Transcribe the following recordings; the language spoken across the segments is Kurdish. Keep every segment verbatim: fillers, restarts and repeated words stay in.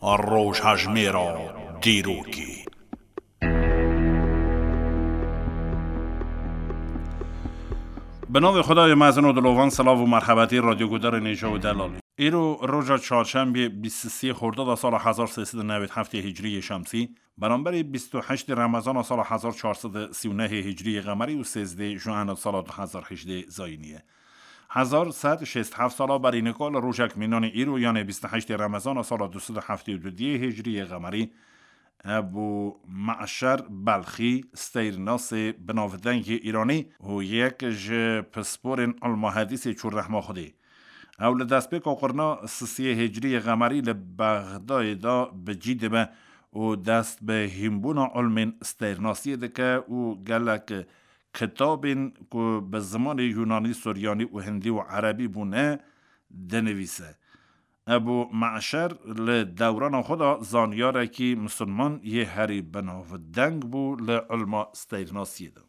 Rojhejmêra dîrokê. Bi navê Xwedayê mezin û dilovan, silav û merhebetî radyogudarên hêja û delalî. Îro roja çarşembê bîst û sê Xordada sala hezar sê sed û newêd heftê Hicriyê Şemsî, beramberî bîst û heştê Remezana sala hezar çar sed û sî û nehê Hicriyê Qemerî û sêzdê Juena sala du hezar hejdê Zayînî ye. Hezar sed şêst heft sala berî nika li rojek mînanê îro, yanê bîst û heştê Remezana sala du sed û heftê û duyê Hicriyê Qemerî, Ebû Me'şer Belxî, steyrnasê binavdeng yê Îranî û yek ji pisporên ilmahedîsê çû rehma Xwedê. Ew li destpêka qurna sisiyê Hicriyê Qemerî li Bexdayê de bi cî dibe û dest bi hînbûna ilmên steyrnasiyê dike û gelek kitabên ku bi zimanê Yunanî, Suryanî û Hindî û Erebî bûne, dinivîse. Ebû Me'şer li dewrana xwe de zanyarekî misilman yê herî binavdeng bû li ilma steyrnasiyê de.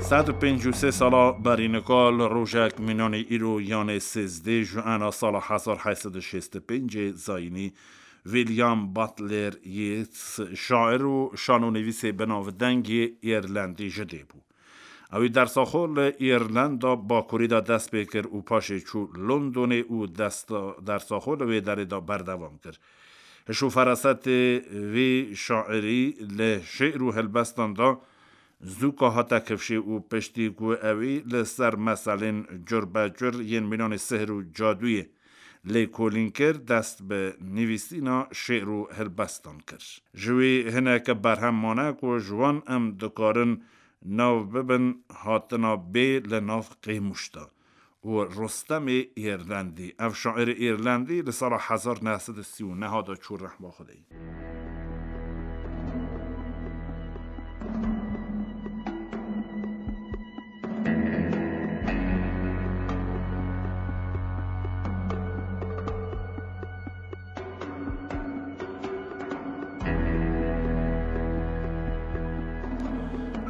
Sed û pêncî û sê sala berî nika li rojek mînanê îro, yanê sêzdê Juena sala hezar heşt sed û şêst û pêncê Zayînî, William Butler Yeats, şair û şanonivîsê binavdeng yê Îrlendî ji dê bû. Ew ê dersa xwe li Îrlanda Bakurî de dest pê kir û paşê çû Londonê û desta-, dersa xwe li wê derê de berdewam kir. Hiş û ferasetê vî şairî li şi'r û helbestan de zûka hate kifşê û piştî ku ewî li ser meselên curbecur yên mînanê sihr û cadûyê lêkolîn kir, dest bi nivîsîna şi'r û helbestan kir. Ji wî hineke berhem mane ku ji wan em dikarin nav bibin hatina bê li nav qêmûş de û Rustemê Îrlendî. Ev şairê Îrlendî li sala hezar neh sed û sî û neh de çû rehma Xwedê.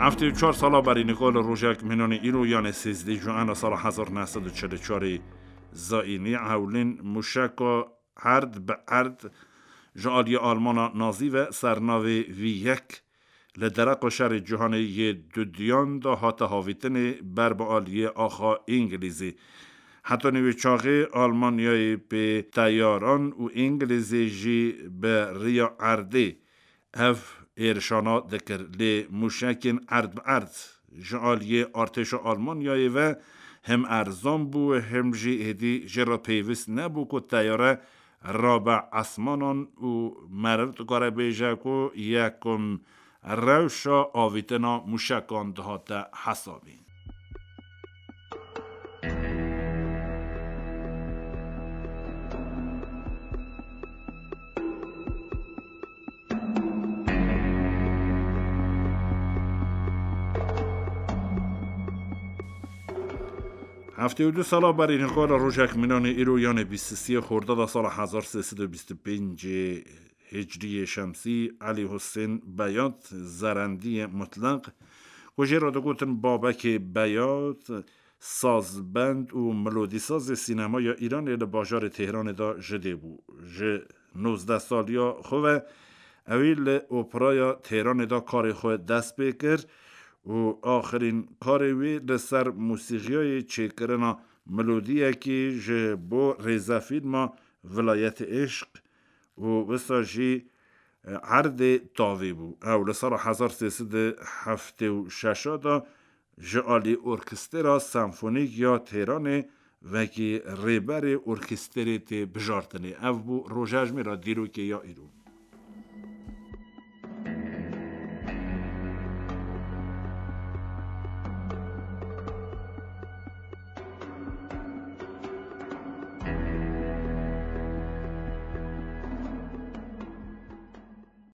Heftê û çar sala berî nika li rojek mînanê îro, yanê sêzdeh Juana sala hezar neh sed û çil û çarê Zayînî, hewlên mûşeka erd bi erd ji aliyê Almana Nazî ve sernavê V yek li dereqa şerê cîhanê yê dudiyan de hate havîtinê ber bi aliyê axa Îngilîzî. Heta nîvê çaxê Almanyayê pê teyaran û Îngilîzê jî bi riya erdê ev êrişana dikir. Lê mûşekên erd bi erd ji aliyê artêşa Almanyayê ve him erzan bû, him jî hêdî jê re pêwîst nebû ku teyare rabe esmanan û meriv dikare bêje ku yekum rewşa avîtina mûşekan dihate hesabîn. Heftê û du sala berî nika li rojek mînanê îro, yanê bîst û sê Xordada sala hezar sê sed û bîst û pêncê Hicriyê Şemsî, Elî Husên Beyat, zerendiyê mutleq, ku jê re digotin Babekê Beyat, sazbend û melodîsazê sînemaya Îranê li bajarê Tehranê de ji dê bû. Ji nozdeh saliya xwe ve ewî li operaya Tehranê de karê xwe dest pê kir û axirîn karê wî li ser mûsîxiyayê çêkirina melodiyekî ji bo rêzefîlma Vilayetê Îşq û wisa jî erdê tavî bû. Ew li sala hezar sê sed û heftê û şeş de ji alî Orkestera Senfonîk ya Têranê wekî rêberê orkesterê tê bijartinê. Ev bû rojejmêra dîrokê ya îro.